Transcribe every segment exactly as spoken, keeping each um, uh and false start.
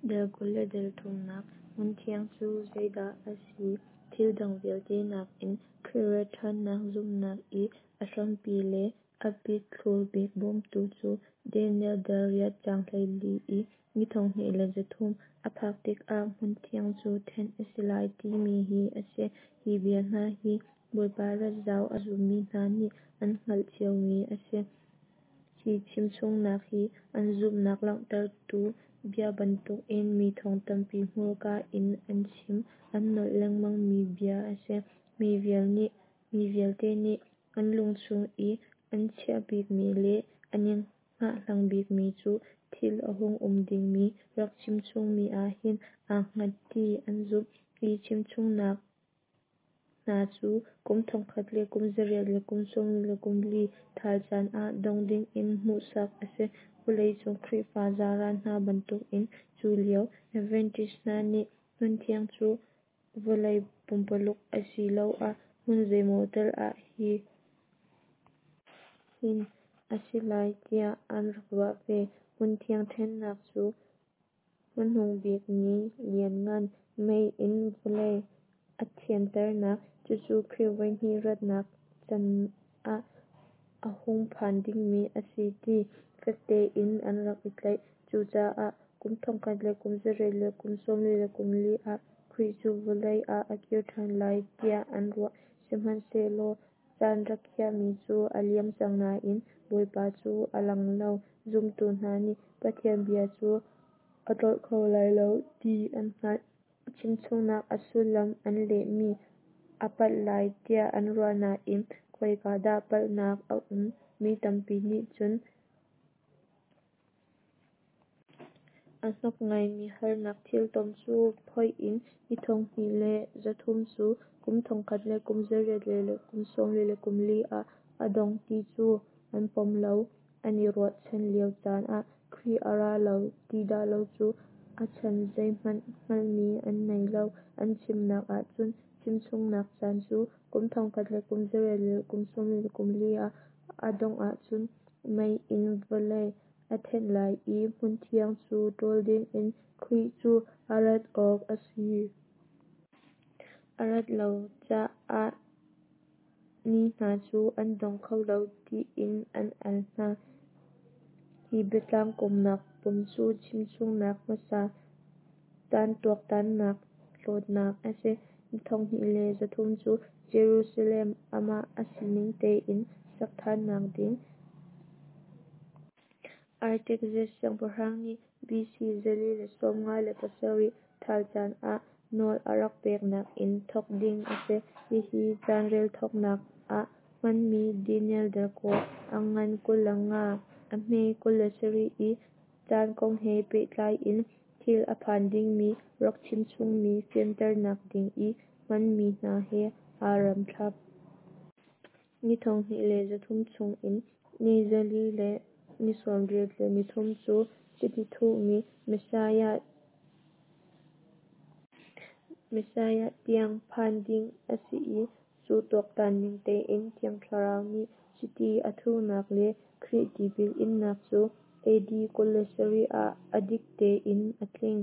Dal kul le dal thumnak Hmunthiang cu zeidah a si? Thil dang vialte nakin Khrih rat ṭhannak zumhnak i a hrampi le a pithlur bik bawmtu cu Daniel dal riat caang hleili i ni thonghnih le zathum a phak tikah hmunthiang cu thenh a si lai timi hi a si. Hi bia hna hi Bawipa rat zau a zummi hna nih an hngalh ciomi a si. Hi chimchungnak hi an zumhnak langhtertu bia bantukin mi thong tampi hmurka in an chim an nolh lengmangmi bia a si. Mi vialte nih an lungchung i an chiah bikmi le an i hngahhlang bikmi cu thil a hung um dingmi rak chimchungmi ahhin aa hngat ti an zumh. Hi chimchungnak hna cu kum thongkhat le kum zariat le kum sawmli le kum li ṭhal caan ah dong dingin hmuhsak a si. Vawleicung Khrihfa zaran hna bantukin cu lio Adventist hna nih hmunthiang cu vawlei pumpaluk asiloah hmun zeimaw tal ah hin a si lai tiah an rak ruah ve. Hmunthiang thenhnak cu hmanungbik ni lianngan, mei in vawlei a thianternak, cucu Khrih voihnih ratnak can ah a hung phan dingmi a si ti fek tein an rak i tlaih. Cucaah kum thongkhat le kum zariat le kum sawmli le kum li ah Khrih cu vawlei ah a kir ṭhan lai tiah an ruah. Sihmanhsehlaw caan rak khiahmi cu a liam cang nain Bawipa cu a lang lo. Zumtu hna nih Pathian bia cu a tlolh kho lai lo ti an hngalh. Chimchungnak a sullam an lehmi a palh lai tiah an ruah nain khoika dah palhnak a um? Mi tampi nih cun a hnok ngaimi harnak thiltom cu phoih in ni thonghnih le zathum cu kum thongkhat le kum zariat le kum sawmli le kum li ah a dong ti cu an pom lo. An i ruahchan lio caan ah Khrih a ra lo ti dah lo cu a chan zeihmanh hngalhmi an nei lo. An chimnak ahcun chimchungnak caan cu kum thongkhat le kum zariat le kum sawmli le kum li ah a dongh ahcun mei in vawlei a thenh lai i hmunthiang cu ṭawl dingin Khrih cu a rat awk a si. A rat lo caah ni hna cu an dong kho lo tiin an al hna. Hi biatlang kawmnak pom cu chimchungnak hmasa caan tuaktannak hlawtnak a si. Ni thonghnih le zathum cu Jerusalem amah a sining tein sak ṭhannak ding Artaxerxes siangpahrang nih B C zali le sawmnga le pasarih ṭhal caan ah nawl a rak peknak in thawk ding a si. Hihi caanrel thawknak ah hmanmi Daniel dal kua, a ngan kul le nga, a hme kul le sarih i caan kong he pehtlai in thil a phan dingmi rak chimchungmi fianternak ding i hmanmi hna he aa rem thlap. Ni thonghnih le zathum chungin ni zali le ni sawmriat le nithum cu chiti thuhmi Messiah tiang phan ding a si i cu tuaktan ning tein Thiang Thlarau nih chiti a thuhnak le Khrih tipil innak cu A D kul le sarih ah a dik tein a tling.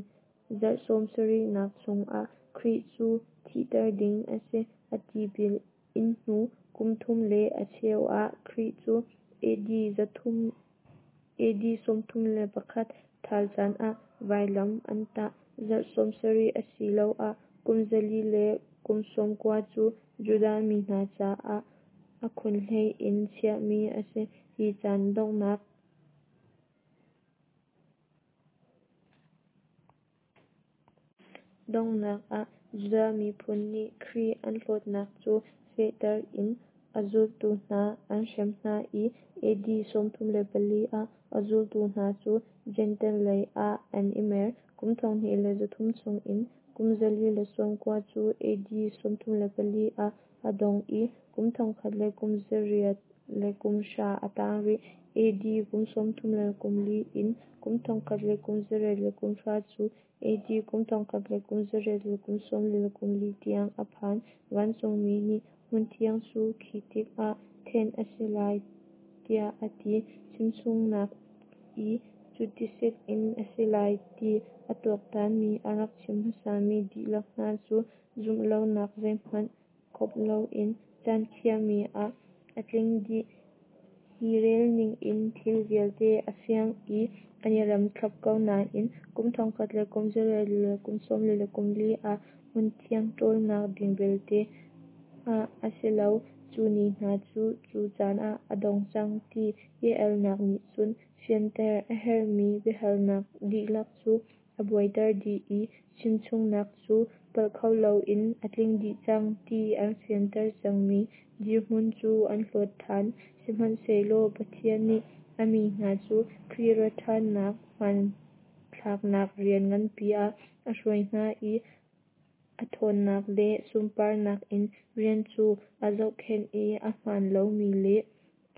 Zarh sawmsarihnak chungah Khrih cu thihter ding a si. A tipil in hnu kum thum le a cheu ah Khrih cu A D sawmthum le pakhat ṭhal caan ah vailam an tah. Zarh sawmsarih asiloah kum zali le kum sawmkua cu Judah mi hna caah a khunhlei in chiahmi a si. Hi caan donghnak donghnak ah Judah miphun nih Khrih an hlawtnak cu fehter in a zultu hna an hrem hna i A D sawmthum le pali ah a zultu hna cu Jentail lei ah an i mer. Kum thonghnih le zathum chungin kum zali le sawmkua cu A D sawmthum le pali ah a dong i kum thongkhat le kum zariat le kum hra a tang rih. A D kum sawmthum le kum li in kum thongkhat le kum zariat le kum hra cu A D kum thongkhat le kum zariat le kum sawmli le kum li tiang a phan. Vancungmi nih hmunthiang cu khi tikah thenh a si lai tiah a ti. Chimchungnak i cutisik in a si lai ti a tuaktanmi, a rak chim hmasami dihlak hna cu zumhlonak zeihmanh kawp loin caan khiahmi ah a tling dih. Hi relning in thil vialte a fiang i an i rem thlap ko nain kum thongkhat le kum zariat le kum sawmli le kum li ah hmunthiang ṭawlnak ding belte hngah a si lo. Cu ni hna cu cu caan ah a dong cang ti i alnak nih cun fianter a herhmi biahalnak dihlak cu a buaiter dih i chimchungnak cu palh kho loin a tling dih cang ti an fianter cangmi dirhmun cu an hlawt ṭhan. Sihmanhsehlaw Pathian nih a mi hna cu Khrih ratṭhannak hmanthlaknak rian nganpi ah a hruai hna i a ṭhawnnak le sunparnak in rian cu a zohkhenh i a hmaan lomi le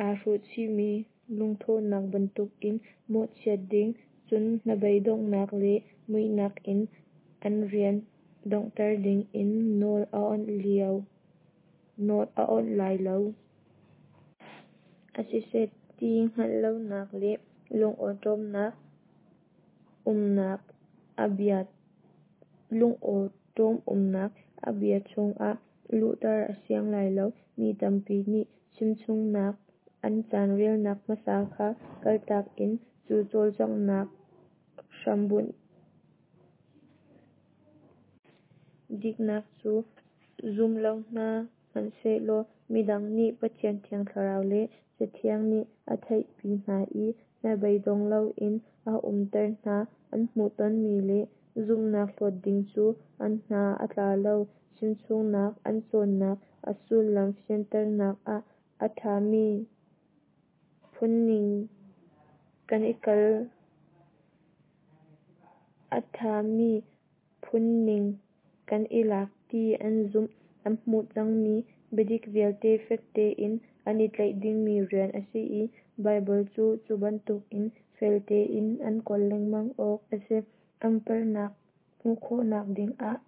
aa hruhchihmi lungthawhnak bantukin mawhchiat ding, cun hnabeidonghnak le muihnak in an rian donghter dingin nawl a awnh lai lo. A siseh ti hngalh lonak le lungawṭawmnak umnak a bia lungawṭawm umnak a bia chungah luhter a siang lai lo. Mi tampi nih chimchungnak an caan relnak hmasa kha kaltak in cu cawlcanghnak hrambunh diknak cu zum lo hna hmanhsehlaw midang nih Pathian Thiang Thlarau le Cathiang nih a theihpi hna i hnabeidong loin a umter hna. An hmuhtonmi le zumhnak hlawt ding cu an hna a tla lo. Chimchungnak an cawnnak a sullam fianternak ah a ṭhami phungning kan i kal a ṭhami phungning kan i lak ti an zumh. An hmuh cangmi biadik vialte fek tein an i tlaih dingmi rian a si i Baibal cu cu bantukin fel tein an kawl lengmang awk a si. An palhnak hmuh khawhnak dingah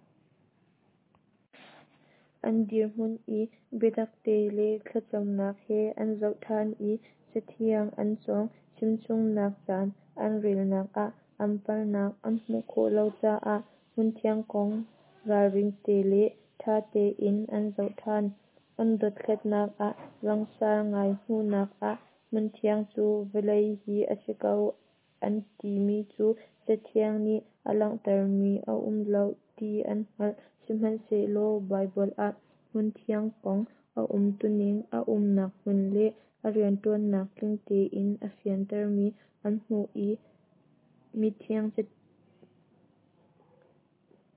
an dirhmun i biatakte le thlacamnak he an zoh ṭhan i Cathiang an cawng. Chimchungnak caan an relnak ah an palhnak an hmuh khawh lo caah hmunthiang kong ralring te le ṭha tein an zoh ṭhan. An dothlatnak ah langsar ngai hmuhnak ah hmunthiang cu vawlei hi a si ko an timi cu Cathiang nih a langhtermi a um lo ti an hngalh. Sihmanhsehlaw Baibal ah hmunthiang kong a umtuning, a umnak hmun le a rianṭuannak tling tein a fiantermi an hmuh i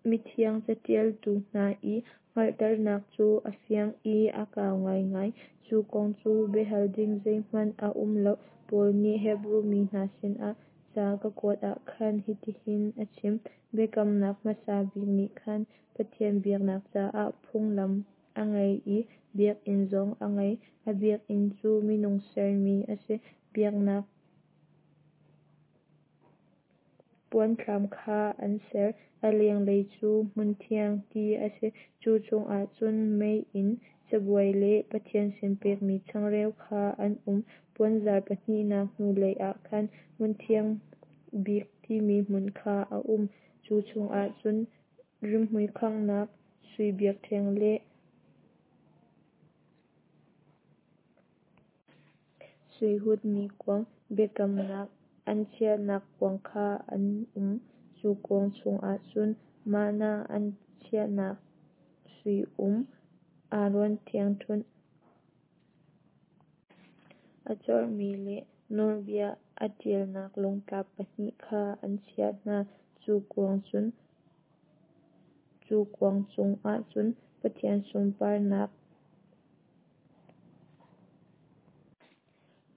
mithiang caṭialtu hna i hngalhternak cu a fiang i a kau ngaingai. Cu kong cu biahal ding zeihmanh a um lo. Paul nih Hebru mi hna sinah ca a kuat ah khan hitihin a chim: Biakamnak hmasa bik nih khan Pathian biaknak caah phunglam a ngei i biakinn zong a ngei. A biakinn cu minung sermi a si. Biaknak puanthlam kha an ser. A lenglei cu hmunthiang ti a si. Cu chungah cun meiinn cabuai le Pathian sin pekmi changreu kha an um. Puanzar pahnihnak hnulei ah khan hmunthiang bik timi hmun kha a um. Cu chungah cun rimhmui khanghnak sui biakṭheng le sui hutmi kuang, biakamnak an chiahnak kuang kha an um. Cu kuang chungah cun manna an chiahnak sui um, Aaron ṭhiangṭhunh a corhmi le nawlbia aa ṭialnak lungtlap pahnih kha an chiah hna. Cu kuang cun cu kuang chungah cun Pathian sunparnak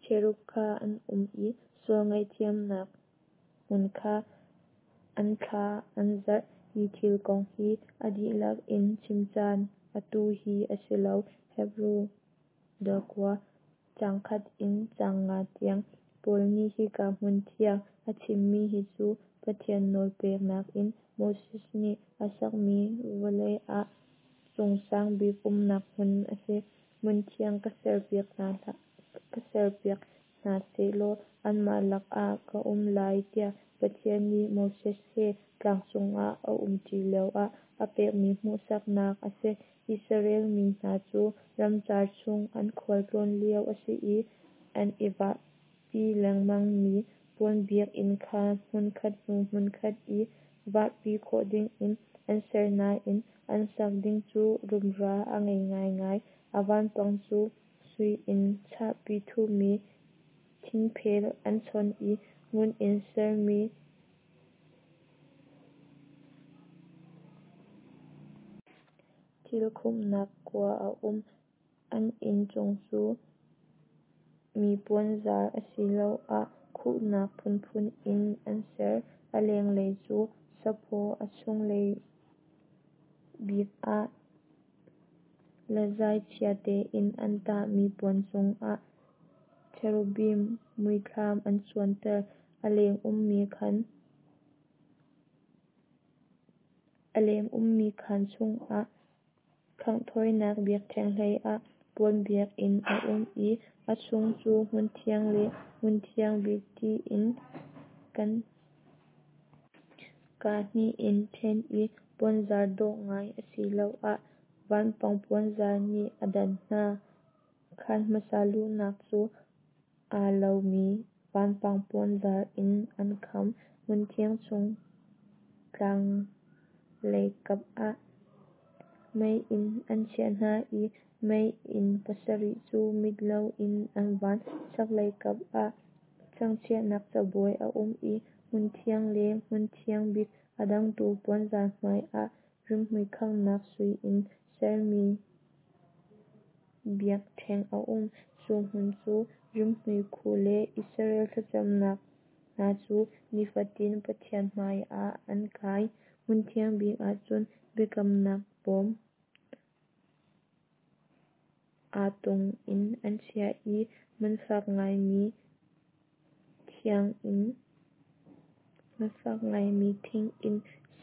cherub kha an um i sual ngaihthiamnak hmun kha an thla an zarh. Hi thil kong hi a dihlak in chim caan atu hi a si lo. Hebru dal kua, caang khat in caang nga tiang. Paul nih hika hmunthiang a chimmi hi cu Pathian nawl peknak in Moses nih a sakmi vawlei ah cungsang bik umnak hmun a si. Hmunthiang ka serpiak hna, ka serpiak hna sehlaw anmah lakah ka um lai tiah Pathian nih Moses he tlang cungah a umṭi lioah a pekmi hmuhsaknak a si. Israel mi hna cu ramcar chung an khualtlawn lio a si i an i vahpi lengmangmi puan biakinn kha hmunkhat hnu hmunkhat i vahpi khawh dingin an ser nain an sak ding cu rumra a ngei ngaingai. A vanpang cu sui in chahpi thuhmi thingphel an chon i ngun in sermi thil khumhnak kua a um. An inn cung cu mi puanzar asiloah khuhnak phunphun in an ser. A lenglei cu saphaw, a chunglei bik ah lazai chia tein an tahmi puan cungah cherubim muithlam an cuanter. A leng ummi khaan A leng ummi khaan chungah khanghthawinak biakṭheng hleiah puan biakinn a um i a chung cu hmunthiang le hmunthiang bik tiin kan kaa hnih in ṭhen i puanzar dawh ngai asiloah vanpang puanzar nih a dan hna. Khaan hmasa luhnak cu aa lomi vanpang puanzar in an kham. Hmunthiang chung thlanglei kap ah meiinn an chiah hna i meiinn pasarih cu mit loin an van. Chaklei kap ah changchiahnak cabuai a um i hmunthiang le hmunthiang bik a dangtu puanzar hmaiah rimhmui khanghnak sui in sermi biakṭheng a um. Cu hmun cu rimhmui khu le Israel thlacamnak hna cu nifatin Pathian hmaiah an kai. Hmunthiang bik ahcun biakamnak bawm aa tung in an chiah i man fak ngaimi thiang in man fak ngaimi thing in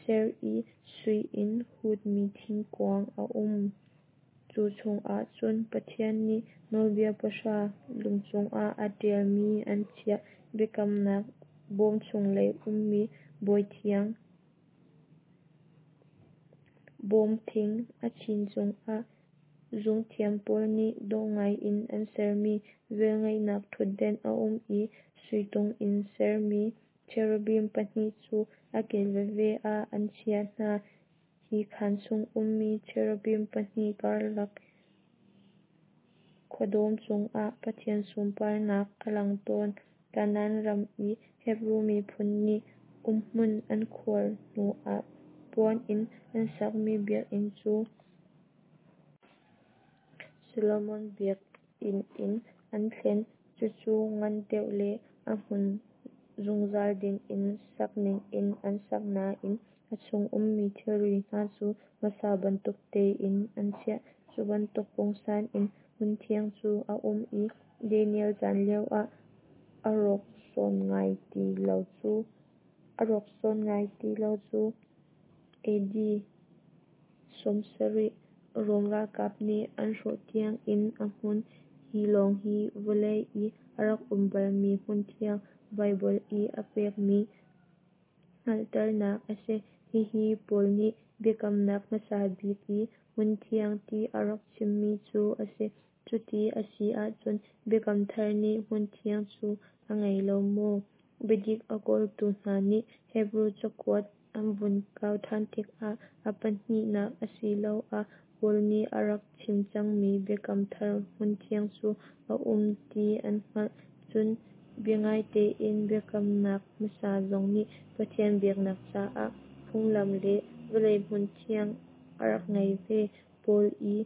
ser i sui in hutmi thingkuang a um. Cu chungah cun Pathian nih Nawlbia Pahra lung cungah a ṭialmi an chiah. Biakamnak bawm chunglei ummi bawithiang bawm thing a chin cungah zungthiam pawl nih dawh ngaiin an sermi velngeihnak ṭhutdenh a um i sui tung in sermi cherubim pahnih cu a kil veve ah an chiah hna. Hi khaan chung ummi cherubim pahnih karlak khuadawm cungah Pathian sunparnak a lang tawn. Kanaan ram i Hebru miphun nih umhmun an khuar hnuah puan in an sakmi biakinn cu Solomon biakinn in an thlen. Cucu ngan deuh le a hmun zungzal dingin sak ningin an sak nain a chung ummi thilri hna cu hmasa bantuk tein an chiah. Cu bantuk pungsan in hmunthiang cu a um i Daniel caan lioah a rawk sawn ngai ti lo cu a rawk sawn ngai ti lo cu A D sawmsarih Rom ralkap nih an hrawh tiangin a hmun. Hi lawng hi vawlei i a rak um balmi hmunthiang Baibal i a pekmi hngalhternak a si. Hihi Paul nih biakamnak hmasa bik i hmunthiang ti a rak chimmi cu a si. Cuti a si ahcun Biakam Thar nih hmunthiang cu a ngei lo maw? Biadik a kawltu hna nih Hebru cakuat an vun kau ṭhan tikah a pahnihnak asiloah Paul nih a rak chim cangmi Biakam Thar hmunthiang cu a um ti an hngalh. Cun biangaitein biakamnak hmasa zong nih Pathian biaknak caah phunglam le vawlei hmunthiang a rak ngei ve. Paul i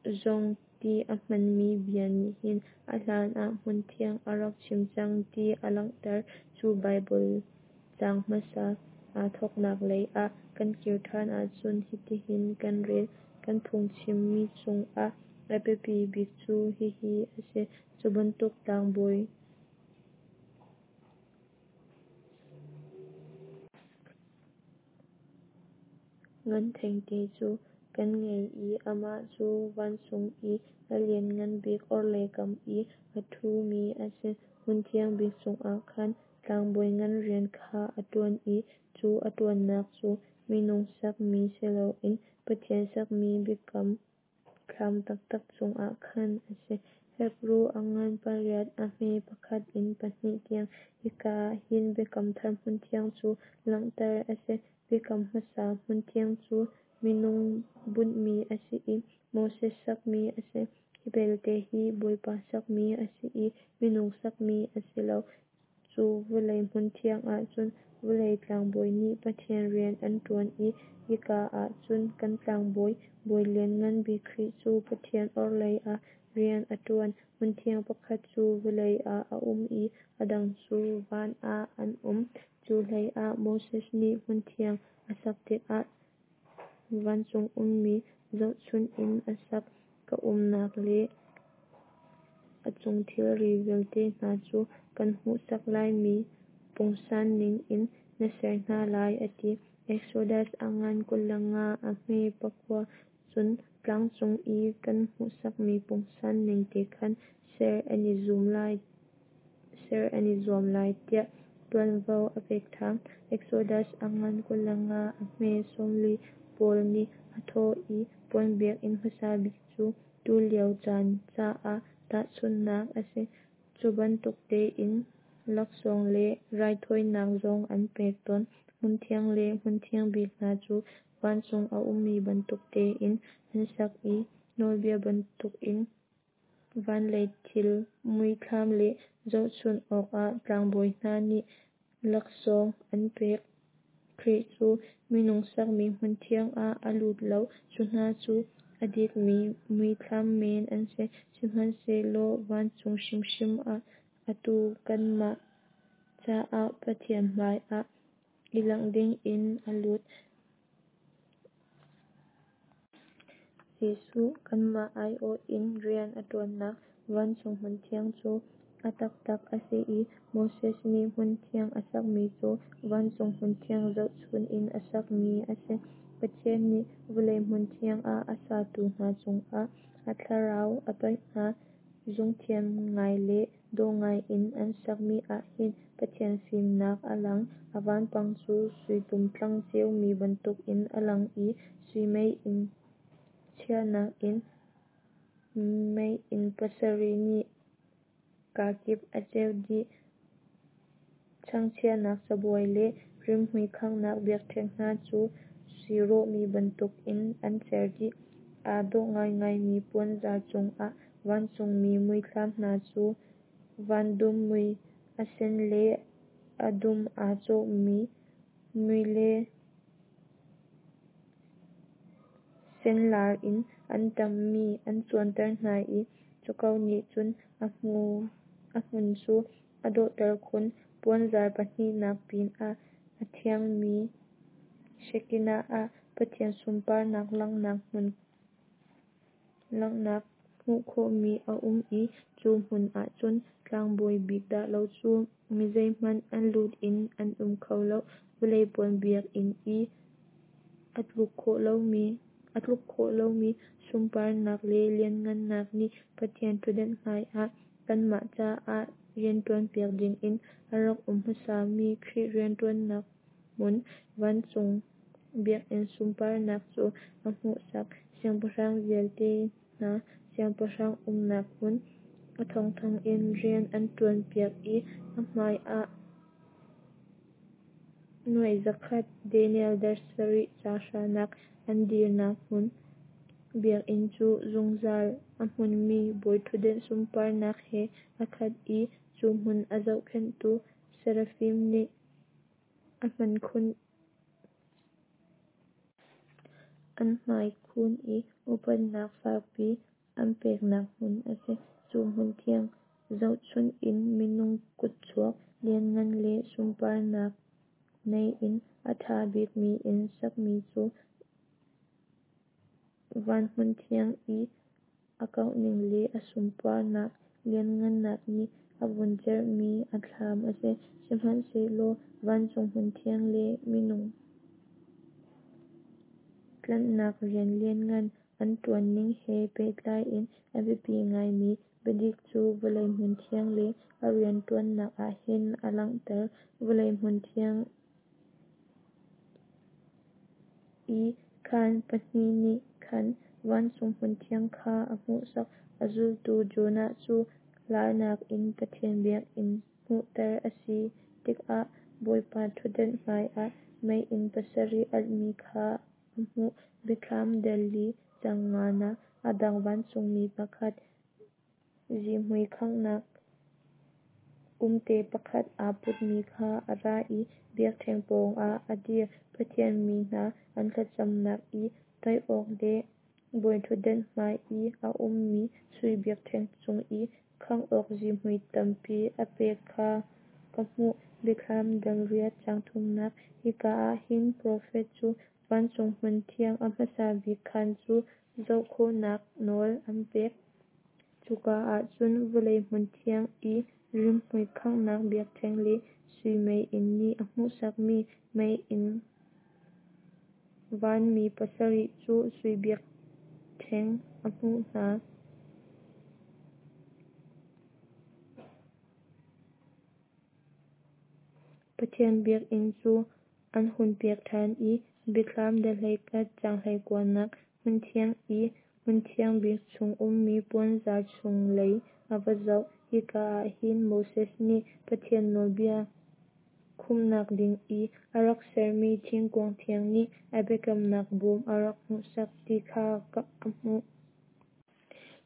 zong ti a hmanmi bia nih hin a hlanah hmunthiang a rak chim cang ti a langhter. Cu Baibal caang hmasa aa thawknak lei ah kan kir ṭhan ahcun hitihin kan rel: Kan phungchimmi chungah a biapi bik cu hihi a si: Cu bantuk tlangbawi ngan thengte cu kan ngei i amah cu vancung i a Lianngan Bik orhlei kam i a ṭhumi a si. Hmunthiang bik chungah khan Tlangbawi Ngan rian kha a ṭuan i cu a ṭuannak cu minung sakmi si loin Pathian sakmi biakam thlam taktak chungah khan a si. Hebru a ngan pariat a hme pakhat in pahnih tiang. Hika ah hin Biakam Thar hmunthiang cu langhter a si. Biakam hmasa hmunthiang cu minung bunhmi a si i Moses sakmi a si. Hi belte hi Bawipa sakmi a si i minung sakmi a si lo. Cu vawlei hmunthiang ah cun vawlei tlangbawi nih Pathian rian an ṭuan i hika ah cun kan tlangbawi bawi lianngan bik Khrih cu Pathian orhlei ah rian a ṭuan. Hmunthiang pakhat cu vawlei ah a um i a dang cu van ah an um. Cu hleiah Moses nih hmunthiang a sak tikah vancung ummi zohchunh in a sak. Ka umnak le a chung thilri vialte hna cu kan hmuhsak laimi pungsan ningin na ser hna lai, a ti. Exodus a ngan kul le nga a hme pakua. Cun tlang cung i kan hmuhsakmi pungsan ning te khan ser an i zuam lai, ser an i zuam lai tiah ṭuanvo a pek ṭhan. Exodus a ngan kul le nga a hme sawmli. Paul nih a thawh i puan biakinn hmasa bik cu tulio caan caah tahchunhnak a si. Cu bantuk tein laksawng le raithawinak zong an pek tawn. Hmunthiang le hmunthiang bik hna cu vancung a ummi bantuk tein an sak i nawlbia bantukin van lei thil muithlam le zohchunh awkah tlangbawi hna nih laksawng an pek. Khrih cu minung sakmi hmunthiang ah a lut lo, cu hna cu a dikmi muithlam men an si. Sihmanhsehlaw vancung hrimhrim ah atu kanmah caah Pathian hmaiah i langh dingin a lut. Jesuh kanmah aiawh in rian a ṭuannak vancung hmunthiang cu a taktak a si i Moses nih hmunthiang a sakmi cu vancung hmunthiang zohchun in a sakmi a si. Pathian nih vawlei hmunthiang ah a satu hna cungah a thlarau a toih hna. Zungthiam ngai le dawh ngaiin an sakmi ah hin Pathian fimnak a lang. A vanpang cu sui tumtlang ceumi bantukin a lang i sui meiinn chiahnak in meiinn pasarih nih kakip a ceuh dih. Chang chiahnak cabuai le rimhmui khanghnak biakṭheng hna cu sui rawhmi bantukin an cer dih. Aa dawh ngaingaimi puanzar cungah vancungmi muithlam hna cu van dum mui, a sen le a dum aa cawhmi mui le senlar in an ṭamhmi an cuanter hna i cu ko nih cun a hmun cu a dawhter khun. Puanzar pahnihnak pinah a thiangmi Shekinah ah Pathian sunparnak langhnak langhnak hmuh khawhmi a um i cu hmun ah cun tlangbawi bik dah lo cu mi zeihmanh an lut in an um kho lo. Vawlei puan biakinn i a tluk khawh lomi a tluk khawh lomi sunparnak le lianhngannak nih Pathian ṭhutdan hmaiah kanmah caah rianṭuanpiak dingin a rak um hmasami Khrih rianṭuannak hmun vancung biakinn sunparnak cu a hmuhsak. Siangpahrang vialte hna Siangpahrang umnak hmun, a thongthong in rian an ṭuanpiak i a hmaiah nuai zakhat Daniel dar sarih ca hranak an dirnak hmun biakinn cu zungzal a hmunmi bawiṭhutdan sunparnak he a khat i cu hmun a zohkhenhtu Serafim nih a hmaikhun an hmaikhun i upatnak fakpi an peknak hmun a si. Cu hmunthiang zohchunh in minung kutchuak lianngan le sunparnak nei in a ṭha bikmi in sakmi cu van hmunthiang i a kauhning le a sunparnak lianhngannak nih a vun cerhmi a thlam a si. Sihmanhsehlaw vancung hmunthiang le minung tlanhnak rian lianngan an ṭuanning he pehtlai in a biapi ngaimi Biadik cu vawlei hmunthiang le a rianṭuannak ah hin a langhter. Vawlei hmunthiang i khaan pahnih nih khan vancung hmunthiang kha a hmuhsak. A zultu Jonah cu larnak in Pathian biakinn hmuhter a si tikah Bawipa ṭhutdan hmaiah meiinn pasarih alhmi kha a hmuh. Biathlam dal li caang nganak. A dang vancungmi pakhat, zihmui khanghnak umte pakhat aa putmi kha a ra i biakṭheng pawngah a dir. Pathian mi hna an thlacamnak i tel awk le bawiṭhutdan hmai i a ummi sui biakṭheng cung i khangh awk zihmui tampi a pek kha ka hmuh. Biathlam dal riat caang thumnak. Hika ah hin profet cu vancung hmunthiang a hmasa bik khaan cu zoh khawhnak nawl an pek. Cuka ah cun vawlei hmunthiang i rimhmui khanghnak biakṭheng le sui meiinn nih a hmuhsakmi meiinn vanmi pasarih cu sui biakṭheng a hmuh hna. Pathian biakinn cu an hunpiak ṭhan i Biathlam dal hleikhat caang hleikuanak hmunthiang i hmunthiang bik chung ummi puanzar chunglei a va zoh. Hika ah hin Moses nih Pathian nawlbia khumhnak ding i a rak sermi thingkuang thiang nih a biakamnak bawm a rak hmuhsak ti kha a hmuh.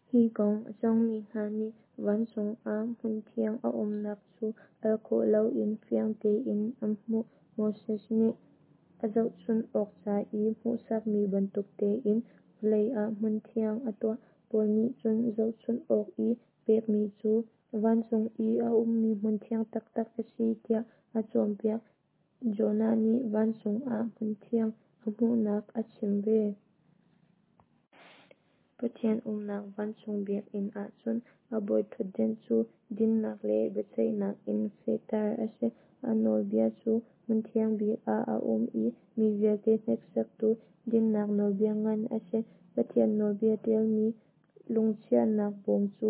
Hi kong a cawngmi hna nih vancung ah hmunthiang a umnak cu al khawh loin fiang tein an hmuh. Moses nih a zohchunh awk ca i hmuhsakmi bantuk tein vawlei ah hmunthiang a tuah. Paul nih cun zohchunh awk i pekmi cu vancung i a ummi hmunthiang taktak a si tiah a cawnpiak. Jonah nih vancung ah hmunthiang a hmuhnak a chim ve. Pathian umnak vancung biakinn ahcun a bawiṭhutdan cu dinnak le biaceihnak in fehter a si. A nawlbia cu hmunthiang bik ah a um i mi vialte hneksaktu dinnak nawlbia ngan a si. Pathian nawlbia ṭialmi lungchiahnak bawm cu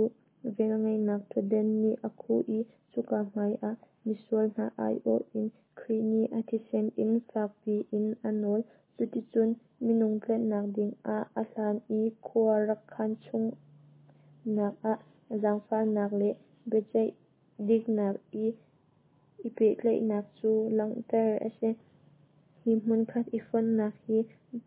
velngeihnak ṭhutdan nih a khuh i cuka hmai ah misual hna aiawh in Khrih nih a thisen in fakpi in a nawl. Cuticun minung tlanhnak dingah a hlan i khua rak khan chungnak ah zaangfahnak le biaceih diknak i i pehtlaihnak cu langhter a si. Hi hmunkhat i fonhnak hi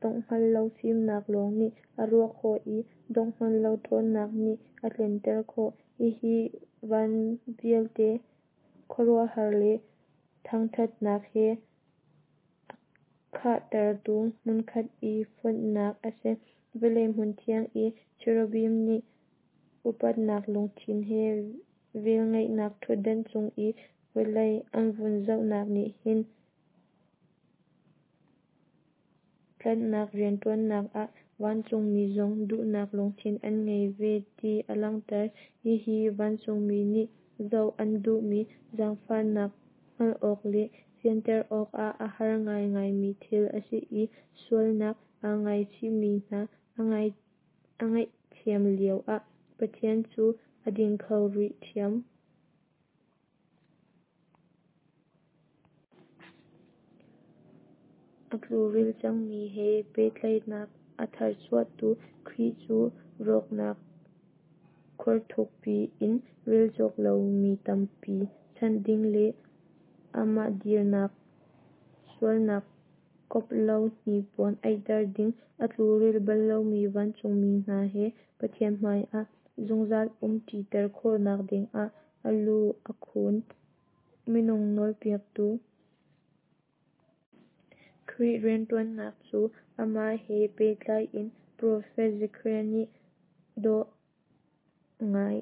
dongh hngal lo fimnak lawng nih a ruah khawh i dongh hngal lo ṭhawnnak nih a tlinter khawh. Hihi van vialte khuaruahhar le thangṭhatnak he a khahtertu hmunkhat i fonhnak a si. Vawlei hmunthiang i cherubim nih upatnak lungthin he velngeihnak ṭhutdan cung i vawlei an vun zohnak nih hin tlanhnak rianṭuannak ah vancungmi zong duhnak lungthin an ngei ve ti a langhter. Hihi vancungmi nih zoh an duhmi zaangfahnak hngalh awk le fianter awkah a har ngaingaimi thil a si i sualnak aa ngaichihmi hna a ngaihthiam lio ah Pathian cu a ding kho rih ṭhiam. A tluril cangmi he pehtlaihnak a tharchuahtu Khrih cu rawknak khor thukpi in relcawk lo mi tampi chanh ding le amah dirnak sualnak kawp lo hnipuan aihter ding, a tluril bal lomi vancungmi hna he Pathian hmaiah zungzal um ṭiter khawhnak dingah a lu a khun. Minung nawlpiaktu Khrih rianṭuannak cu amah he pehtlai in profet Zekhariah nih dawh ngai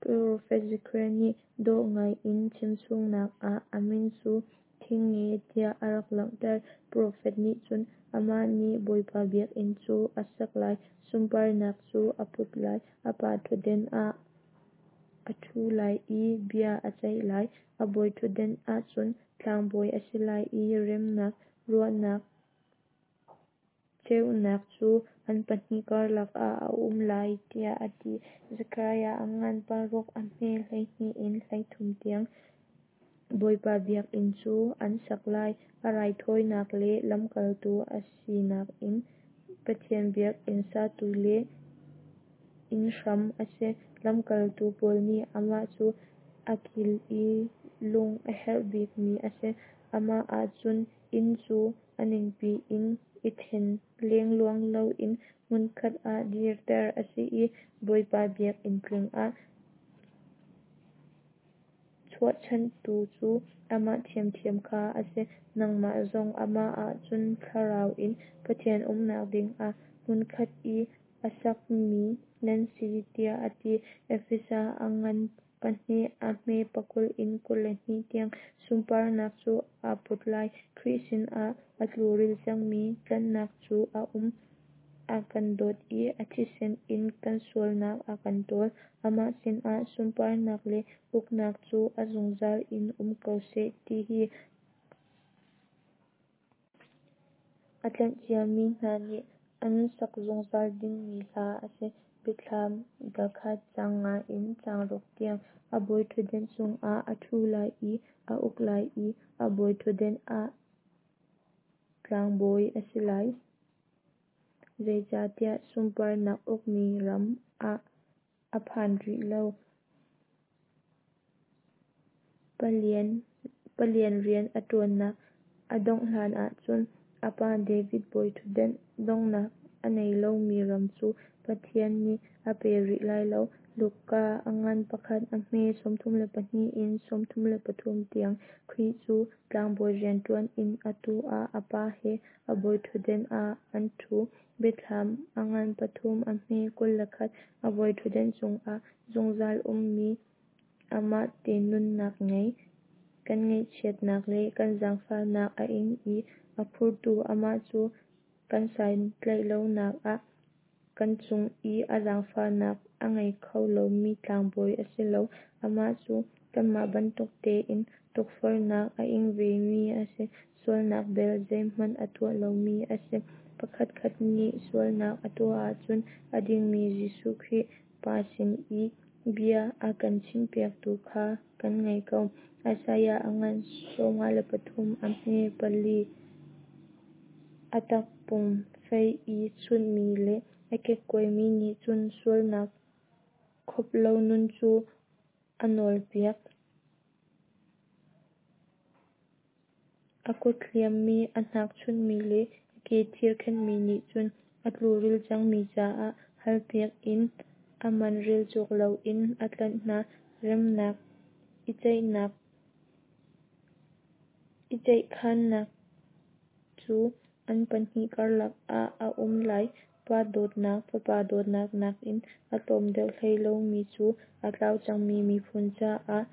profet Zekhariah nih dawh ngai in chimchungnak ah a min cu Thingnge tiah a rak langhter. Profet nih cun Amah nih Bawipa biakinn cu a sak lai, sunparnak cu a put lai, a pa ṭhutdan ah a ṭhu lai i bia a ceih lai. A bawiṭhutdan ahcun tlangbawi a si lai i remnak ruahnak Ceunak cu an pahnih karlak ah a um lai, tiah a ti. Zekhariah a ngan paruk a hme hleihnih in hleithum tiang. Bawipa biakinn cu an sak lai. A raithawinak le lamkaltu a sinak in Pathian biakinn satu le inn hram a si. Lamkaltu pawl nih amah cu a kil i lung a herh bikmi a si. Amah ahcun inn cu a ningpi in i ṭhen lengluang loin hmunkhat ah dirter a si i Bawipa biakinn tling ah chuahchanhtu cu amah ṭhiamṭhiam kha a si. Nangmah zong amah ah cun Thlarau in Pathian umnak dingah hmunkhat i a sakmi nan si, tiah a ti. Efesa a ngan pahnih a hme pakul in kul le hnih tiang. Sunparnak cu aa put lai. Khrih sinah a tluril cangmi tlanhnak cu a um. A kan dawt i a thisen in kan sualnak a kan ṭawl. Amah sinah sunparnak le uknak cu a zungzal in um ko seh, ti hi a tlanh ciami hna nih an sak zungzal dingmi hla a si. Biathlam dal khat caang nga in caang ruk tiang. A bawi ṭhutdan cungah a ṭhu lai i a uk lai i a bawi ṭhutdan ah tlangbawi a si lai. Zeicahtiah sunparnak ukmi ram ah a phan rih lo. Palian rian a ṭuannak a dongh hlanah cun a pa David bawiṭhutdan donghnak a ngei lomi ram cu Pathian nih a pe rih lai lo. Luka a ngan pakhat a hme sawmthum le pahnih in sawmthum le pathum tiang. Khrih cu tlangbawi rianṭuan in atu ah a Pa he a bawiṭhutdan ah an ṭhu. Biathlam a ngan pathum a hme kul le khat. A bawiṭhutdan cungah zungzal ummi amah te nunnak ngei. Kan ngaihchiatnak le kan zaangfahnak a ing i a phurtu amah cu kan santlaihlonak ah kan cung i a zaangfahnak a ngei kho lomi tlangbawi a si lo. Amah cu kanmah bantuk tein tukforhnak a ing vemi a si, sualnak bel zeihmanh a tuah lomi a si. Pakhatkhat nih sualnak a tuah ahcun a dingmi Jesuh Khrih Pa sin i bia a kan chimpiaktu kha kan ngei ko. Isaiah a ngan sawmnga le pathum a hme pali. A takpum fei i chunhmi le a kekkuaimi nih cun sualnak khop lo nun cu a nawlpiak. A kut hliammi, a hnak chunhmi le a ke thir khenhmi nih cun a tluril cangmi caah halpiak in a man rel cawk loin a tlanh hna. Remnak i ceihnak i ceihkhannak cu an pahnih karlak ah a um lai. Pa dawtnak, Fapa dawtnak nakin a tlawm deuh hlei lomi cu a tlau cangmi miphun caah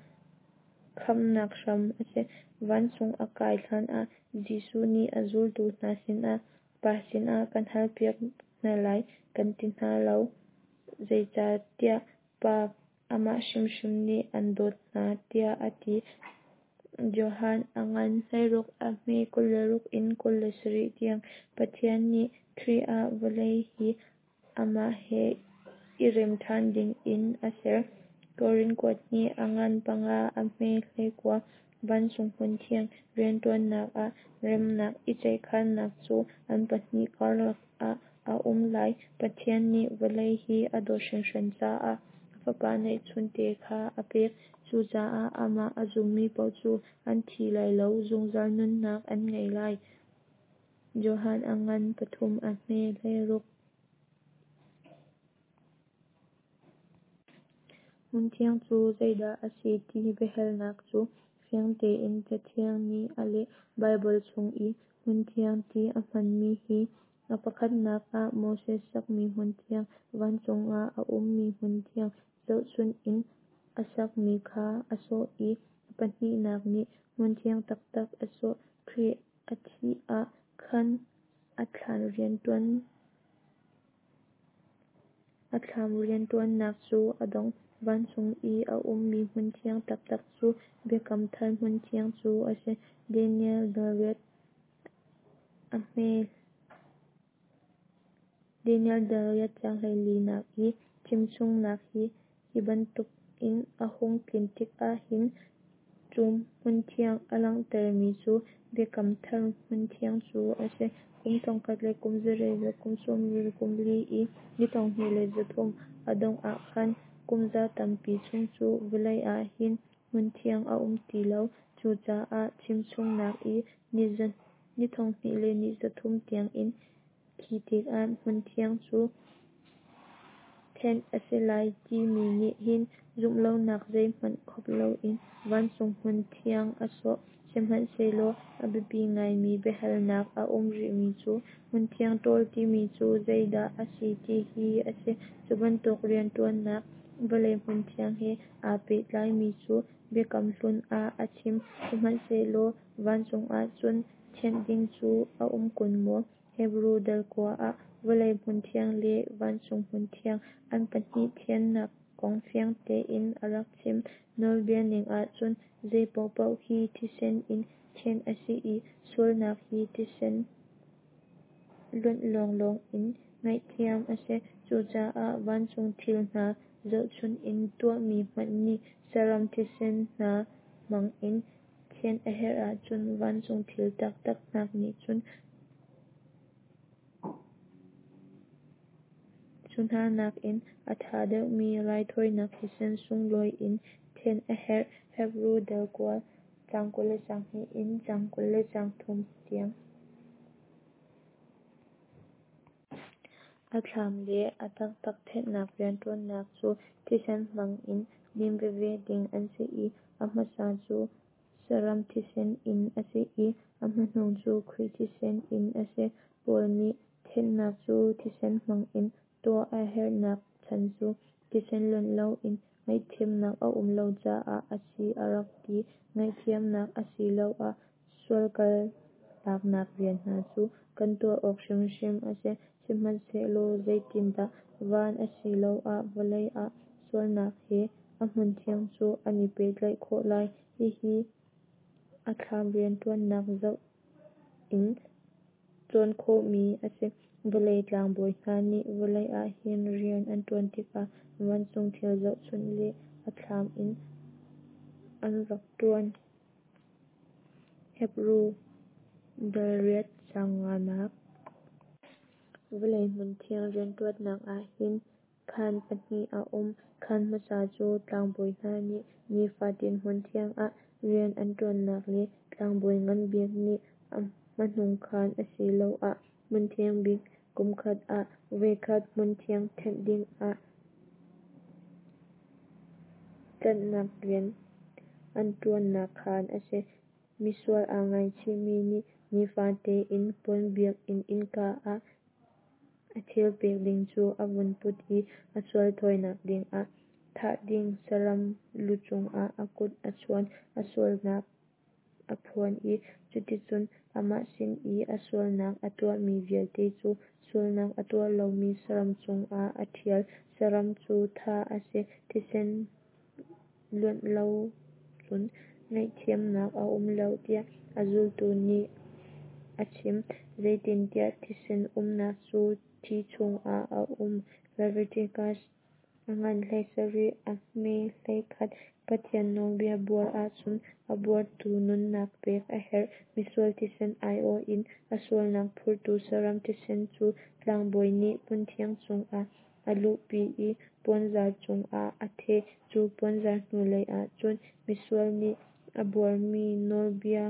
khamhnak hram a si. Vancung a kai hlanah Jesuh nih a zultu hna sinah Pa sinah kan halpiak hna lai kan ti hna lo, zeicahtiah Pa amah hrimhrim nih an dawt hna, tiah a ti. Johan a ngan hleiruk a hme kul le ruk in kul le sarih tiang. Pathian nih Khrih ah vawlei hi amah he i rem ṭhan dingin a ser. Korin kuat hnih a ngan panga a hme hleikua. Vancung hmunthiang rianṭuannak ah remnak i ceihkhannak cu an pahnih karlak ah a um lai. Pathian nih vawlei hi a dawt hringhran caah a Fapa neihchunte kha a pek. Cucaah amah a zummi paoh cu an thi lai lo, zungzal nunnak an ngei lai. Johan a ngan pathum a hme hleiruk. Hmunthiang cu zeidah a si ti biahalnak cu fiang tein Cathiang nih a leh. Baibal chung i hmunthiang ti a hmanmi hi a pakhatnak ah Moses sakmi hmunthiang, vancung ah a ummi hmunthiang zohchunh in a sakmi kha a sawh i a pahnihnak nih hmunthiang taktak a sawh. Khrih a thih ah khan a thlan rianṭuan a thlam rianṭuannak cu a dong. Vancung i a ummi hmunthiang taktak cu Biakam Thar hmunthiang cu a si. Daniel dal riat a hme Daniel dal riat caang hleilinak i chimchungnak hi hi bantukin a hung tlin tikah hin cu hmunthiang a langhtermi cu Biakam Thar hmunthiang cu a si. Kum thongkhat le kum zariat le kum sawmli le kum li i ni thonghnih le zathum a dongh ah khan kum za tampi chung cu vawlei ah hin hmunthiang a um ti lo. Cucaah chimchungnak i ni thonghnih le ni zathum tiangin khi tikah hmunthiang cu thenh a si lai timi nih hin zumhlonak zeihmanh khop loin vancung hmunthiang a sawh. Sihmanhsehlaw a biapi ngaimi biahalnak a um rihmi cu hmunthiang ṭawl timi cu zeidah a si ti hi a si. Cu bantuk rianṭuannak vawlei hmunthiang he aa pehtlaimi cu Biakam Hlun ah a chim. Sihmanhsehlaw vancung ah cun thianh ding cu a um kun maw? Hebru dal kua ah vawlei hmunthiang le vancung hmunthiang an pahnih thiannak kong fiang tein a rak chim. Nawlbia ning ahcun zei paohpaoh hi thisen in thianh a si i sualnak hi thisen luanh lawnglawng in ngaihthiam a si. Cucaah vancung thil hna zohchunh in tuahmi hmanh nih saram thisen hna hmang in thianh a herh ahcun vancung thil taktak hna nih cun cu hna nakin a ṭha deuhmi raithawinak thisen sunglawi in thianh a herh. Hebru dal kua caang kul le caang hnih in caang kul le caang thum tiang. A thlam le a taktak thenhnak rianṭuannak cu thisen hmang in lim veve ding an si i a hmasa cu saram thisen in a si i a hmahnung cu Khrih thisen in a si. Paul nih thenhnak cu thisen hmang in tuah a herhnak chan cu thisen luanh loin ngaihthiamnak a um lo caah a si a rak ti. Ngaihthiamnak asiloah sualkaltaknak rian hna cu kan tuah awk hrimhrim a si. Sihmanhsehlaw zeitindah van asiloah vawlei ah sualnak he a hmunthiang cu an i pehtlaih khawh lai? Hihi a thlam rianṭuannak zoh in cawn khawhmi a si. Vawlei tlangbawi hna nih vawlei ah hin rian an ṭuan tikah vancung thil zohchunh le a thlam in an rak ṭuan. Hebru dal riat caang nganak. Vawlei hmunthiang rianṭuannak ah hin khaan pahnih a um. Khaan hmasa cu tlangbawi hna nih nifatin hmunthiang ah rian an ṭuannak le tlangbawi ngan bik nih a hmanung khaan asiloah hmunthiang bik kumkhat ah voikhat hmunthiang thenh dingah tlanhnak rian an ṭuannak khaan a si. Misual aa ngaichihmi nih nifate in puan biakinn innka ah a thil pek ding cu a vun put i a sual thawinak dingah thah ding saram lu cungah a kut a chuan, a sualnak a phuan i cuticun amah sin i a sualnak a tuahmi vialte cu sualnak a tuah lomi saram cungah a ṭhial. Saram cu thah a si. Thisen luanh lo cun ngaihthiamnak a um lo tiah a zultu nih a chim. Zeitintiah thisen umnak cu thi chungah a um. Leviticus a ngan hleisarih a hme hleikhat. Pathian nawlbia buar ahcun a buartu nunnak pek a herh. Misual thisen aiawh in a sualnak phurtu saram thisen cu tlangbawi nih hmunthiang chungah a luhpi i puanzar cungah a theh. Cu puanzar hnulei ah cun misual nih a buarmi nawlbia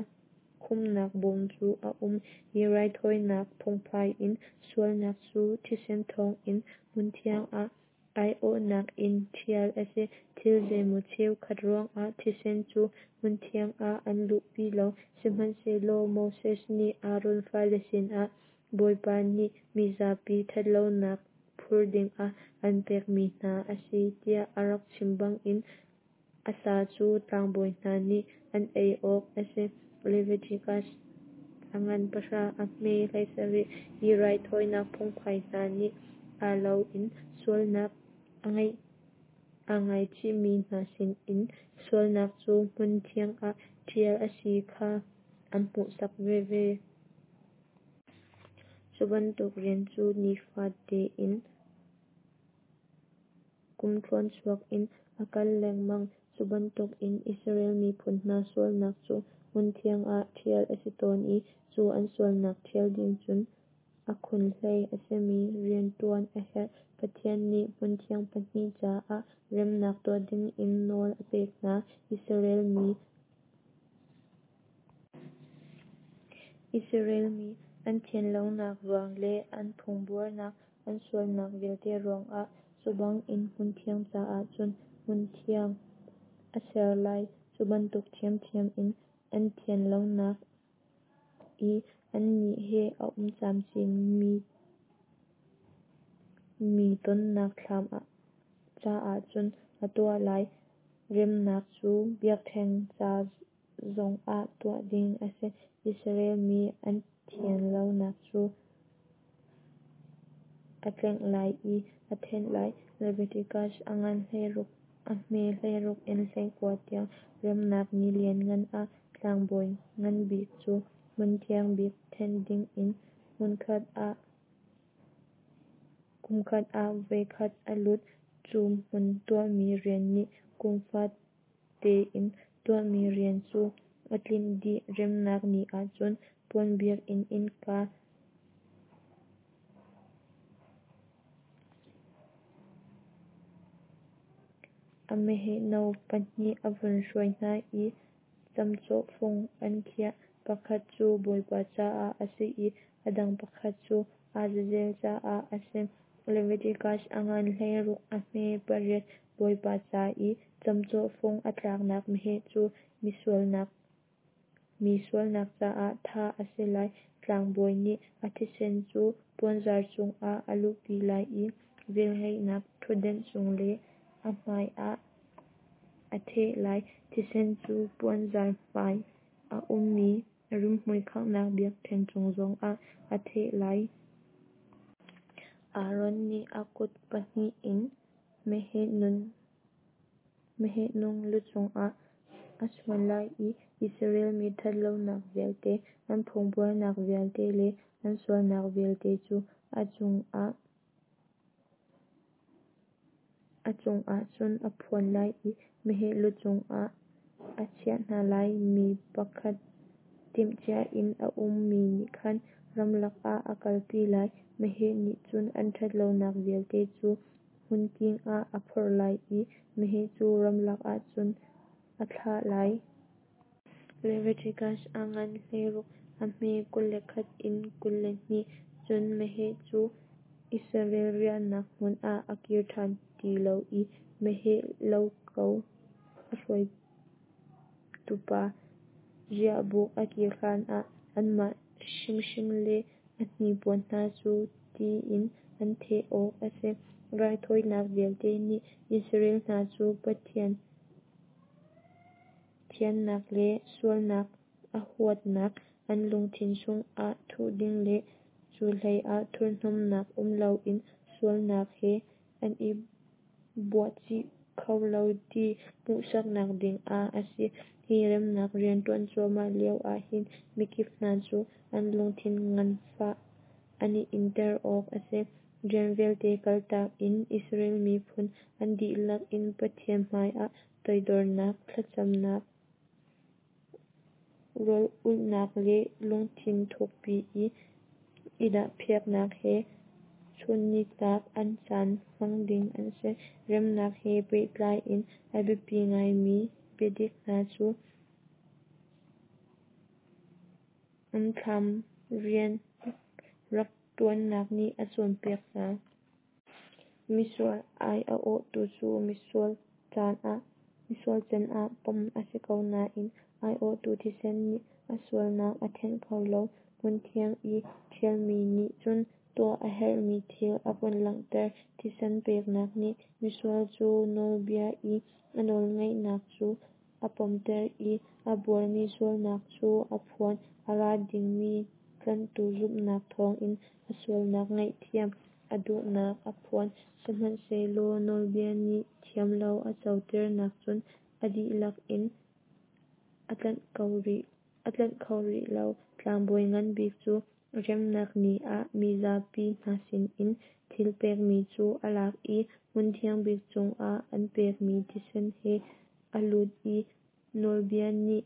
khumhnak bawm cu a um. Hi raithawinak phungphai in sualnak cu thisen thawngin hmunthiang ah aiawhnak in ṭhial a si. Thil zeimaw cheukhat ruangah thisen cu hmunthiang ah an luhpi lo. Sihmanhsehlaw Moses nih Aaron fale sinah Bawipa nih mizapi ṭhatlonak phur dingah an pekmi hna a si tiah a rak chim bangin a sa cu tlangbawi hna nih an ei awk a si. Leviticus a ngan pahra a hme hleisarih. Hi raithawinak phungphai hna nih aa lo in sualnak a ngeih aa ngaichihmi hna sinin sualnak cu hmunthiang ah ṭhial a si kha an hmuhsak veve. Cu bantuk rian cu nifate in kumtluanchuak in a kal lengmang. Cu bantukin Israel miphun hna sualnak cu hmunthiang ah thial a si tawn i cu an sualnak thial ding cun a khunhlei a simi riantuan a herh. Pathian nih hmunthiang pahnih caah remnak tuah dingin nawl a pek hna. Israel mi Israel mi an thianlonak ruang le an phungbuarnak an sualnak vialte ruangah. Cu bangin hmunthiang caah cun hmunthiang a ser lai. Cu bantuk thiamthiam in an thianlonak i annih he a um camcin mi tonnak thlam caah cun a tuah lai. Remnak cu biaktheng ca zongah tuah ding a si. Israel mi an thianlonak cu a tlengh lai i a thenh lai. Leviticus a ngan hleiruk a hme hleiruk in hleikua tiang. Remnak ni lianngan ah tlangbawi nganbik cu hmunthiang bik thenh dingin kumkhat ah voikhat a lut. Cu hmun tuahmi rian nih kum fatein tuahmi rian cu a tlinh dih. Remnak ni ahcun puan biakinn innka a meheh no pahnih a vun hruai hna i camcawhfung an khiah, pakhat cu Bawipa caah a si i a dang pakhat cu Azazel caah a si. Leviticus a ngan hleiruk a hme pariat. Bawipa ca i camcawhfung a tlaknak meheh cu mi sualnak caah thah a si lai. Tlangbawi nih a thisen cu puanzar cungah a luhpi lai i velngeihnak ṭhutdenh cung le a hmaiah a theh lai. Thisen cu puanzar hmai a ummi rimhmui khanghnak biakṭheng cung zongah a theh lai. Aaron nih a kut pahnih in meheh nung lu cungah a chuan lai i Israel mi ṭhatlonak vialte, an phungbuarnak vialte le an sualnak vialte cu a cungah cun a phuan lai i meheh lu cungah a chiah hna lai. Mi pakhat timhcia in a ummi nih khan ramlak ah a kalpi lai. Meheh nih cun an ṭhatlonak vialte cu hmunking ah a phorh lai i meheh cu ramlak ah cun a thlah lai. Leviticus a ngan hleiruk a hme kul le khat in kul le hnih. Cun meheh cu Israel riahnak hmun ah a kir ṭhan ti lo i meheh lo ko a hruaitupa riahbuk a kir hlanah anmah hrimhrim le a hnipuan hna cu ti in an theh awk a si. Raithawinak vialte nih Israel hna cu Pathian thiannak le sualnak a huatnak an lungthin chungah thuh ding le cu hleiah thurhnomhnak um loin sualnak he an i buahcih kho lo ti hmuhsaknak dingah a si. Hi remnak riantuan cuahmah lio ahhin mikip hna cu an lungthin nganfah an i inter awk a si. Rian vialte kaltak in Israel miphun an dihlak in Pathian hmaiah toidornak, thlacamnak, rawl ulhnak le lungthin thukpi i i dahpiaknak he chunnitlak an caan hmang ding an si. Remnak he pehtlai in a biapi ngaimi biadik hna cu an thlam rian rak tuannak nih a cawnpiak hna. Misual ai a awhtu cu misual can ah pom a si ko nain aiawhtu thisen nih a sualnak a thenh kho lo. Hmunthiang i thialmi nih cun tuah a herhmi thil a vun langhter. Thisen peknak nih misual cu nawlbia i a nawlngaihnak cu a pomter i a buarmi sualnak cu a phuan. A ra dingmi tlanhtu zumhnak thawngin a sualnak ngaihthiam a duhnak a phuan. Sihmanhsehlaw nawlbia nih thiamlo a coternak cun a dihlak in a tlanh kho rih lo. Tlangbawi ngan bik cu Remnak Ni ah mizapi hna sinin thil pekmi cu a lak i hmun thiangbik chungah an pekmi thisen he a lut i nawlbia nih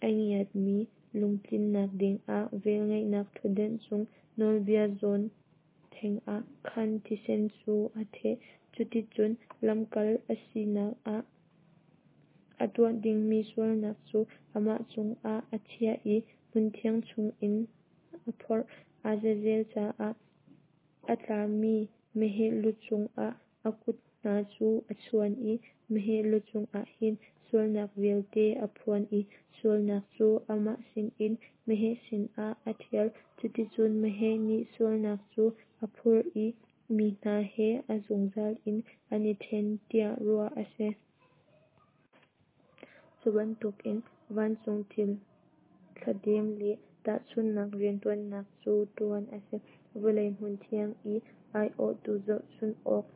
a ngiatmi lungtlinnak dingah velngeihnak ṭhutdenh cung nawlbia zawn thengah khan thisen cu a theh. Cuticun lamkal a sinak ah a tuah dingmi sualnak cu amah cungah a chiah i hmunthiang chungin a phorh. Azazel caah a tlami meheh lu cungah a kut hna cu a chuan i meheh lu cungah hin sualnak vialte a phuan i sualnak cu amah sinin meheh sinah a ṭhial. Cuticun meheh nih sualnak cu a phurh i mi hna he a zungzal in an i ṭhen tiah ruah a si. Cu bantukin vancung thil thladem le tahchunhnak rianṭuannak cu ṭuan a si. Vawlei hmunthiang i aiawhtu zohchunh awk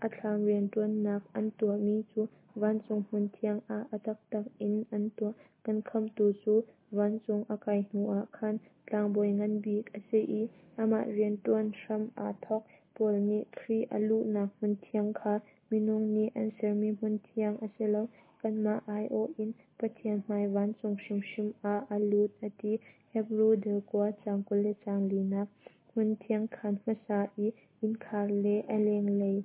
a thlam rianṭuannak an tuahmi cu vancung hmunthiang ah a taktak in an tuah. Kan Khamhtu cu vancung a kai hnuah khan tlangbawi ngan bik a si i amah rianṭuan hram aa thawk. Paul nih Khrih a luhnak hmunthiang kha minung nih an sermi hmunthiang a si lo, kanmah aiawh in Pathian hmai vancung hrimhrim ah a lut a ti. Hebru dal kua caang kul le caang linak. Hmunthiang khaan hmasa i innkhar le a lenglei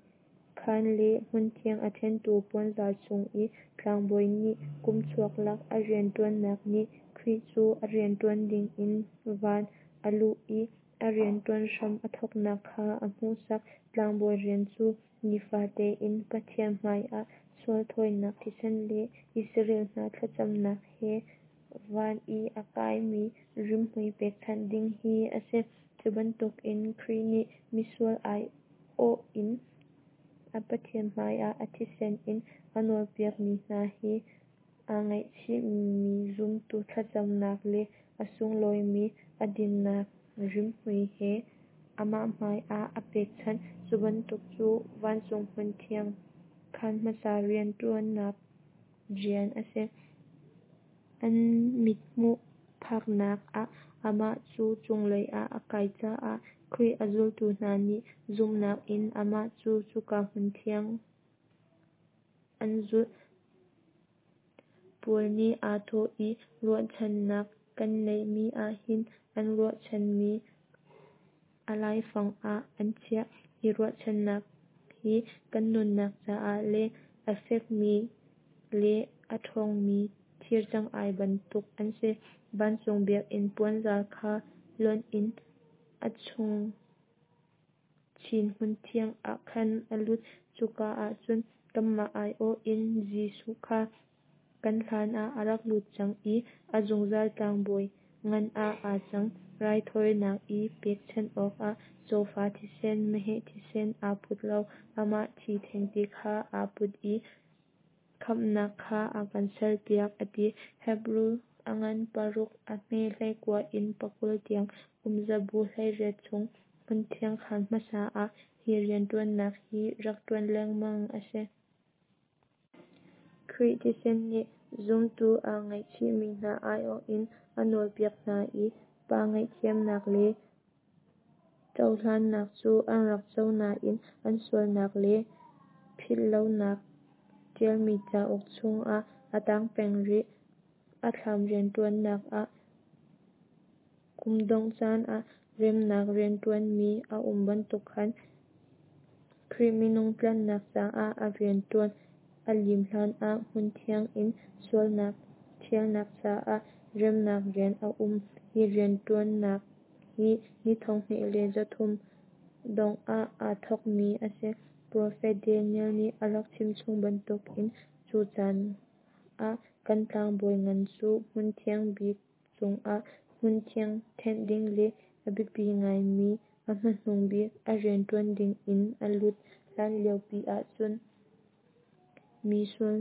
khaan le hmunthiang a ṭhentu puanzar chung i tlangbawi nih kum chuak lak a rianṭuannak nih Khrih cu a rianṭuan dingin van a luh i a rianṭuan hram a thawknak kha a hmuhsak. Tlangbawi rian cu nifate in Pathian hmaiah sual thawinak thisen le Israel hna thlacamnak he van i a kaimi rimhmui pekchanh ding hi a si. Cu bantukin Khrih nih misual aiawh in a Pathian hmaiah a thisen in a nawlpiakmi hna he aa ngaihchihmi zumtu thlacamnak le a sunglawimi a dinnak rimhmui he amah hmaiah a pekchanh. Cu bantuk cu vancung hmunthiang khaan hmasa rianṭuannak rian a si. An mithmuh phaknak ah amah cu cunglei ah a kai caah Khrih a zultu hna nih zumhnak in amah cu cuka hmunthiang an zulh. Paul nih aa thawh i ruahchannak kan neihmi ah hin an ruahchanmi a laifang ah an chiah. Hi ruahchannak hi kan nunnak caah le a fekmi le a ṭhawngmi thir cangai bantuk an si. Vancung biakinn puanzar kha lonh in a chung chin hmunthiang ah khan a lut. Cuka ah cun kanmah aiawh in Jesuh kha kan hlanah a rak lut cang i a zungzal tlangbawi ngan ah aa cang. Raithawinak i pekchanh awkah cawfa thisen, meheh thisen aa put lo, amah thi thengte kha aa put i khamhnak kha a kan serpiak a ti. Hebru a ngan paruk, a hme hleikua in pakul tiang. Kum zabu hleiriat chung hmunthiang khaan hmasa ah hi rianṭuannak hi rak ṭuan lengmang a si. Khrih thisen nih zumtu aa ngaihchihmi hna aiawh in a nawlpiak hna i Pa ngaihthiamnak le cohlannak cu an rak co nain an sualnak le philhlonak ṭialmi cauk chungah a tang peng rih. A thlam rianṭuannak ah kum dongh caan ah remnak rianṭuanmi a um bantuk khan Khrih minung tlanhnak caah a rianṭuan a lim hlanah hmunthiang in sualnak ṭhialnak caah remnak rian a um. Hi rianṭuannak hi ni thonghnih le zathum dongh ah aa thawkmi a si. Profet Daniel nih a rak chimchung bantukin cu caan ah kan tlangbawi ngan cu hmunthiang bik chungah hmunthiang thenh ding le a biapi ngaimi a hmanung bik a rianṭuan dingin a lut. Hlan liopi ahcun mi sual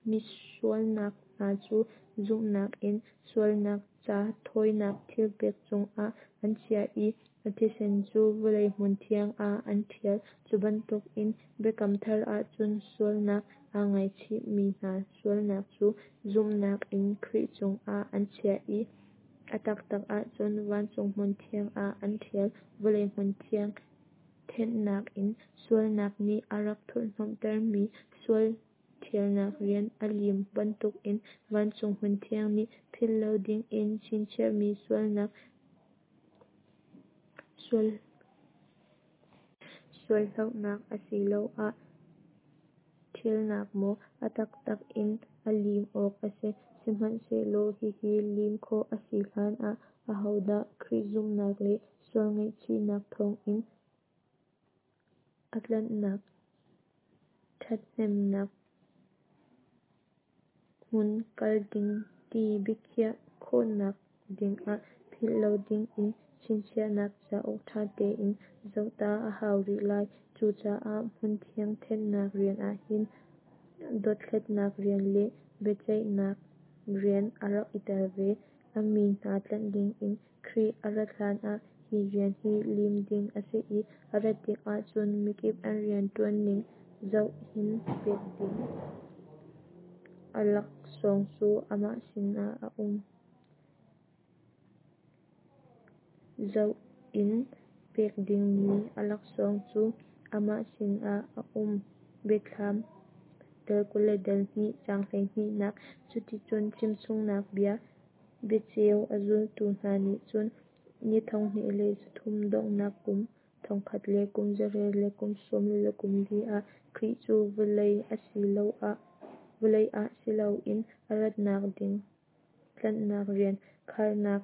mi sualnak hna cu zumhnak in sualnak ca thawinak thilpek cungah an chiah i a thisen cu vawlei hmunthiang ah an ṭhial. Cu bantukin Biakam Thar ahcun sualnak aa ngaihchihmi hna sualnak cu zumhnak in Khrih cungah an chiah i A taktak ahcun vancung hmunthiang ah an thial. Vawlei hmunthiang thenhnak in sualnak nih a rak thurhhnawmhtermi sual thialnak rian a lim bantukin vancung hmunthiang nih philh lo dingin chinchiahmi sualnak sual sualhlohnak asiloah thialnak maw a taktak in a lim awk a si. Sihmanhsehlaw hihi lim khawh a si hlanah ahodah Khrih zumhnak le sual ngaihchihnak thawngin a tlanhnak thathnemnak hmun kal ding ti biakhiah khawhnak dingah philh lo dingin chinchiahnak cauk tha tein zohta a hau rih lai. Cucaah hmunthiang thenhnak rian ahhin dothlatnak rian le biaceihnak rian a rak i tel ve. A mi hna tlanh dingin Khrih a rat hlanah hi rian hi lim ding a si i a rat tikah cun mikip an riantuanning zoh in pek ding a laksawng cu amah sinah a um. Zoh in pek dingmi a laksawng cu amah sinah a um. Biathlam dal kul le dal hnih caang hleihnihnak. Cuticun chimchungnak bia biacheu a zultu hna nih cun ni thonghnih le zathum donghnak kum thongkhat le kum zariat le kum sawmli le kum li ah Khrih cu vawlei asiloah vawlei ah si loin a ratnak ding tlanhnak rian kharnak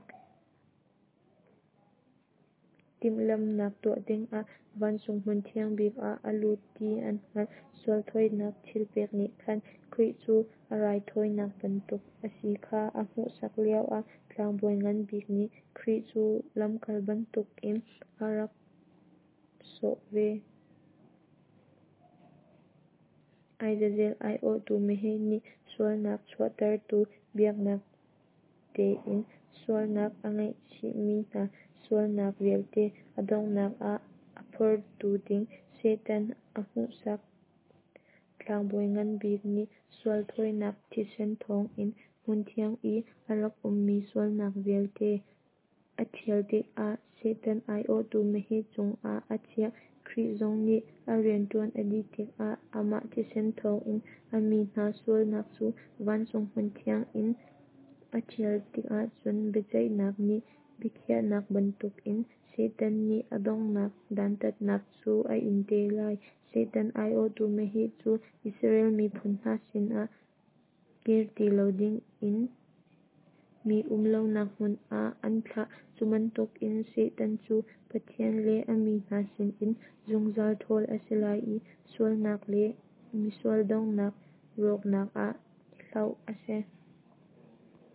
timhlamhnak tuah dingah vancung hmun thiang bik ah a lut ti an hngalh. Sual thawinak thilpek nih khan Khrih cu a raithawinak bantuk a si kha a hmuhsak lioah tlangbawi ngan bik nih Khrih cu lamkal bantukin a rak sawh ve. Azazel aiawhtu meheh nih sualnak chuahtertu biaknak tein sualnak a ngaihchihmi hna sualnak vialte a donghnak ah a phortu ding Satan a hmuhsak. Tlangbawi ngan bik nih sual thawinak thisen thawngin hmunthiang i a rak ummi sualnak vialte a thial tikah Satan aiawhtu meheh cungah a chiah. Khrih zong nih a riantuan a dih tikah amah thisen thawngin a mi hna sualnak cu vancung hmunthiang in a thial tikah cun biaceihnak nih biakhiahnak bantukin Satan nih a donghnak dantatnak cu a in te lai. Satan aiawhtu meheh cu Israel miphun hna sinah kir ti lo dingin mi um lonak hmun ah an thlah. Cu bantukin Satan cu Pathian le a mi hna sinin zungzal thawl a si lai i sualnak le misual donghnak rawknak ah hloh a si.